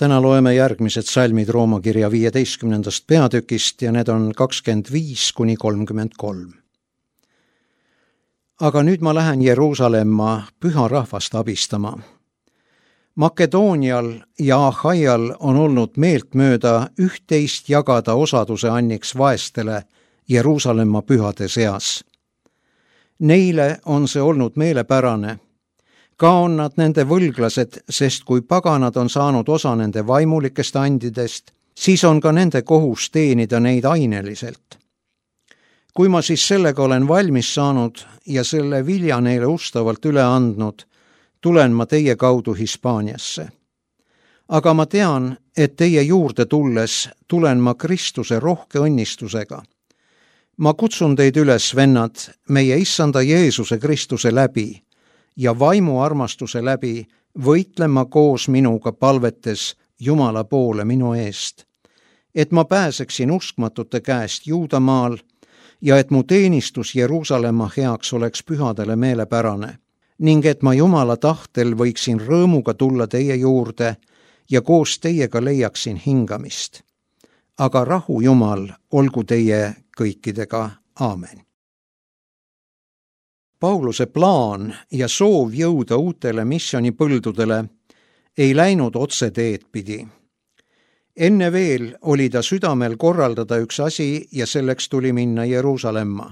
Täna loeme järgmised salmid Rooma kirja 15. peatükist ja need on 25–33. Aga nüüd ma lähen Jeruusalemma püha rahvast abistama. Makedoonial ja Ahaial on olnud meeltmööda üht-teist jagada osaduse anniks vaestele Jeruusalemma pühade seas. Neile on see olnud meelepärane. Ka on nad nende võlglased, sest kui paganad on saanud osa nende vaimulikest andidest, siis on ka nende kohus teenida neid aineliselt. Kui ma siis sellega olen valmis saanud ja selle vilja neile ustavalt üle andnud, tulen ma teie kaudu Hispaaniasse. Aga ma tean, et teie juurde tulles tulen ma Kristuse rohke õnnistusega. Ma kutsun teid üles, vennad, meie Issanda Jeesuse Kristuse läbi ja vaimu armastuse läbi võitlema koos minuga palvetes Jumala poole minu eest, et ma pääseksin uskmatute käest Juudamaal ja et mu teenistus Jeruusalemma heaks oleks pühadele meelepärane ning et ma Jumala tahtel võiksin rõõmuga tulla teie juurde ja koos teiega leiaksin hingamist. Aga rahu Jumal olgu teie kõikidega. Aamen. Pauluse plaan ja soov jõuda uutele missionipõldudele ei läinud otse teed pidi. Enne veel oli ta südamel korraldada üks asi ja selleks tuli minna Jeruusalemma.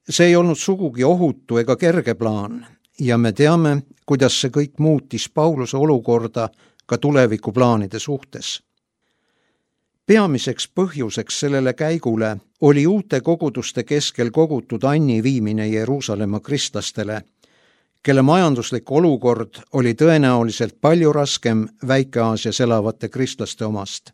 See ei olnud sugugi ohutu ega kerge plaan ja me teame, kuidas see kõik muutis Pauluse olukorda ka tulevikuplaanide suhtes. Peamiseks põhjuseks sellele käigule oli uute koguduste keskel kogutud anni viimine Jeruusalemma kristlastele, kelle majanduslik olukord oli tõenäoliselt palju raskem Väike-Aasias elavate kristlaste omast.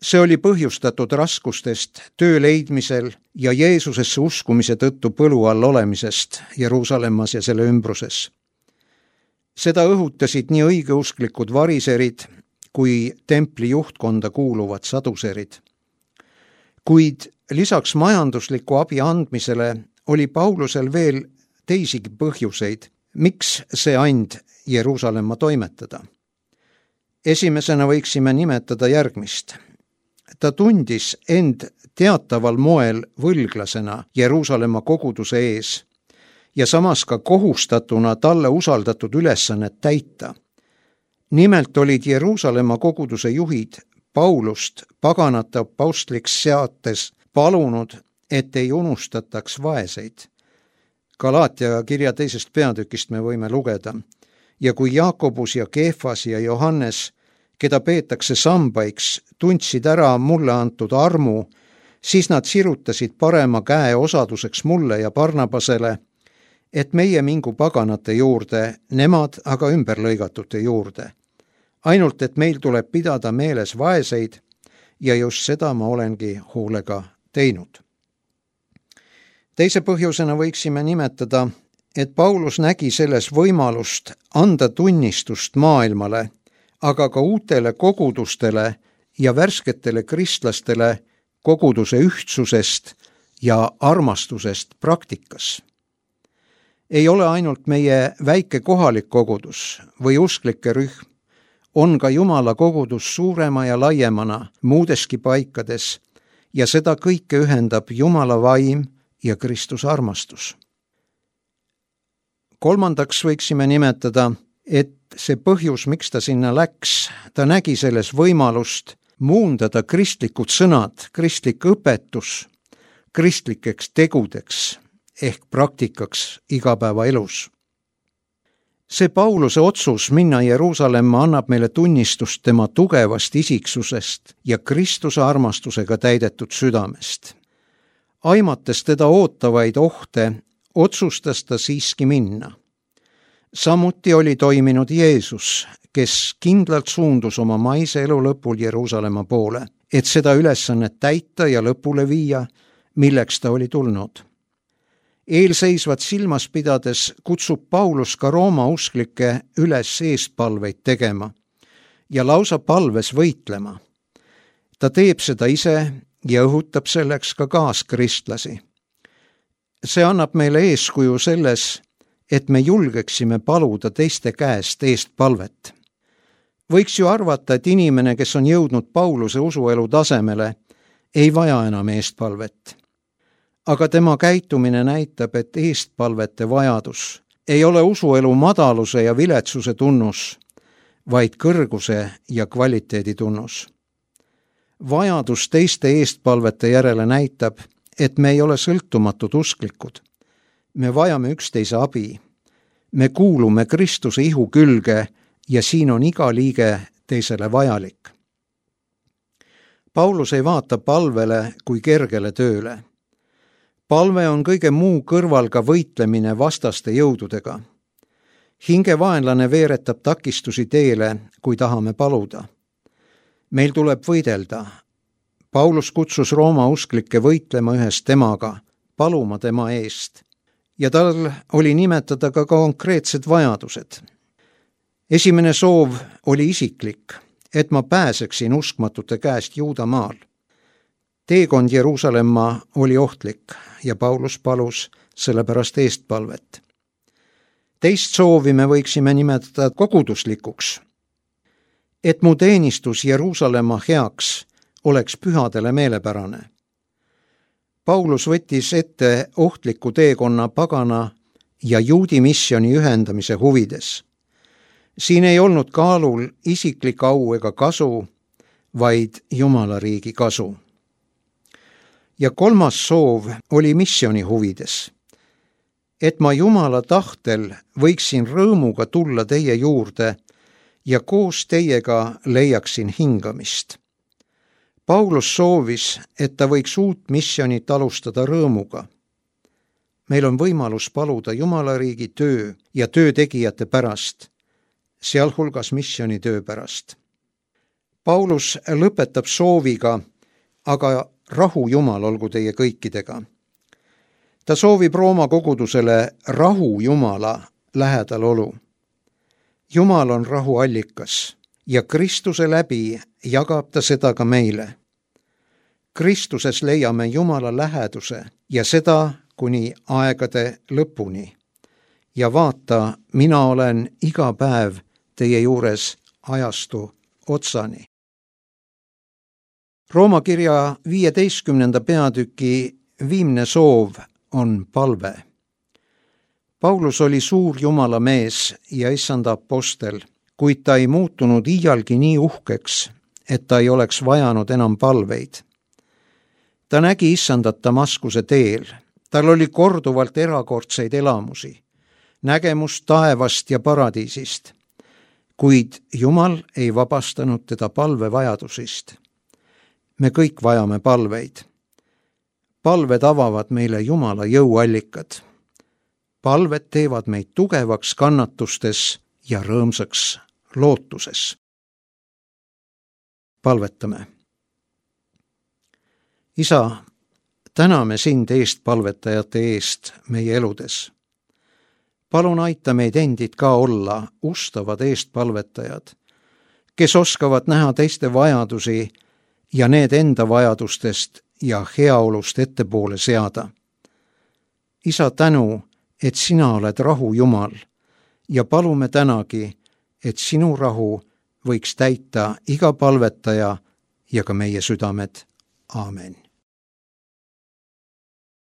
See oli põhjustatud raskustest töö leidmisel ja Jeesusesse uskumise tõttu põlu all olemisest Jeruusalemmas ja selle ümbruses. Seda õhutasid nii õigeusklikud variserid kui templi juhtkonda kuuluvad saduserid. Kuid lisaks majandusliku abi andmisele oli Paulusel veel teisigi põhjuseid, miks see and Jeruusalemma toimetada. Esimesena võiksime nimetada järgmist. Ta tundis end teataval moel võlglasena Jeruusalemma koguduse ees ja samas ka kohustatuna talle usaldatud ülesannet täita. Nimelt olid Jeruusalemma koguduse juhid Paulust paganate apostliks seates palunud, et ei unustataks vaeseid. Galaatia kirja 2. peatükist me võime lugeda. Ja kui Jaakobus ja Keefas ja Johannes, keda peetakse sambaiks, tundsid ära mulle antud armu, siis nad sirutasid parema käe osaduseks mulle ja Barnabasele, et meie mingu paganate juurde, nemad aga ümberlõigatute juurde. Ainult, et meil tuleb pidada meeles vaeseid ja just seda ma olengi hoolega teinud. Teise põhjusena võiksime nimetada, et Paulus nägi selles võimalust anda tunnistust maailmale, aga ka uutele kogudustele ja värsketele kristlastele koguduse ühtsusest ja armastusest praktikas. Ei ole ainult meie väike kohalik kogudus või usklike rühm, on ka Jumala kogudus suurema ja laiemana muudeski paikades ja seda kõike ühendab Jumala vaim ja Kristuse armastus. Kolmandaks võiksime nimetada, et see põhjus, miks ta sinna läks, ta nägi selles võimalust muundada kristlikud sõnad, kristlik õpetus kristlikeks tegudeks ehk praktikaks igapäevaelus. See Pauluse otsus minna Jeruusalemma annab meile tunnistust tema tugevast isiksusest ja Kristuse armastusega täidetud südamest. Aimates teda ootavaid ohte, otsustas ta siiski minna. Samuti oli toiminud Jeesus, kes kindlalt suundus oma maise elu lõpul Jeruusalemma poole, et seda ülesannet täita ja lõpule viia, milleks ta oli tulnud. Eelseisvat silmas pidades kutsub Paulus ka Rooma usklikke üles eestpalveid tegema ja lausa palves võitlema. Ta teeb seda ise ja õhutab selleks ka kaaskristlasi. See annab meile eeskuju selles, et me julgeksime paluda teiste käest eestpalvet. Võiks ju arvata, et inimene, kes on jõudnud Pauluse usuelu tasemele, ei vaja enam eestpalvet. Aga tema käitumine näitab, et eestpalvete vajadus ei ole usuelu madaluse ja viletsuse tunnus, vaid kõrguse ja kvaliteedi tunnus. Vajadus teiste eestpalvete järele näitab, et me ei ole sõltumatud usklikud. Me vajame üksteise abi. Me kuulume Kristuse ihu külge ja siin on iga liige teisele vajalik. Paulus ei vaata palvele kui kergele tööle. Palve on kõige muu kõrval ka võitlemine vastaste jõududega. Hingevaenlane veeretab takistusi teele, kui tahame paluda. Meil tuleb võidelda. Paulus kutsus Rooma usklikke võitlema ühes temaga, paluma tema eest. Ja tal oli nimetada ka konkreetsed vajadused. Esimene soov oli isiklik, et ma pääseksin uskmatute käest Juudamaal. Teekond Jeruusalemma oli ohtlik ja Paulus palus sellepärast eestpalvet. Teist soovi me võiksime nimetada koguduslikuks, et mu teenistus Jeruusalemma heaks oleks pühadele meelepärane. Paulus võttis ette ohtliku teekonna pagana ja juudi missiooni ühendamise huvides. Siin ei olnud kaalul isiklik au ega kasu, vaid Jumala riigi kasu. Ja kolmas soov oli missiooni huvides, et ma Jumala tahtel võiksin rõõmuga tulla teie juurde ja koos teiega leiaksin hingamist. Paulus soovis, et ta võiks uut missionit alustada rõõmuga. Meil on võimalus paluda Jumala riigi töö ja töötegijate pärast, sealhulgas missioonitöö pärast. Paulus lõpetab sooviga, aga rahu Jumal olgu teie kõikidega. Ta soovib Rooma kogudusele rahu Jumala lähedal olu. Jumal on rahu allikas ja Kristuse läbi jagab ta seda ka meile. Kristuses leiame Jumala läheduse ja seda kuni aegade lõpuni. Ja vaata, mina olen iga päev teie juures ajastu otsani. Rooma kirja 15. peatüki viimne soov on palve. Paulus oli suur Jumala mees ja issanda apostel, kuid ta ei muutunud iialgi nii uhkeks, et ta ei oleks vajanud enam palveid. Ta nägi issandat Damaskuse teel. Tal oli korduvalt erakordseid elamusi, nägemus taevast ja paradiisist, kuid Jumal ei vabastanud teda palvevajadusist. Me kõik vajame palveid. Palved avavad meile Jumala jõuallikad. Palved teevad meid tugevaks kannatustes ja rõõmsaks lootuses. Palvetame. Isa, täname sind eestpalvetajate eest meie eludes. Palun aita meid endid ka olla ustavad eestpalvetajad, kes oskavad näha teiste vajadusi ja need enda vajadustest ja heaolust ettepoole seada. Isa, tänu, et sina oled rahu Jumal ja palume tänagi, et sinu rahu võiks täita iga palvetaja ja ka meie südamed. Aamen.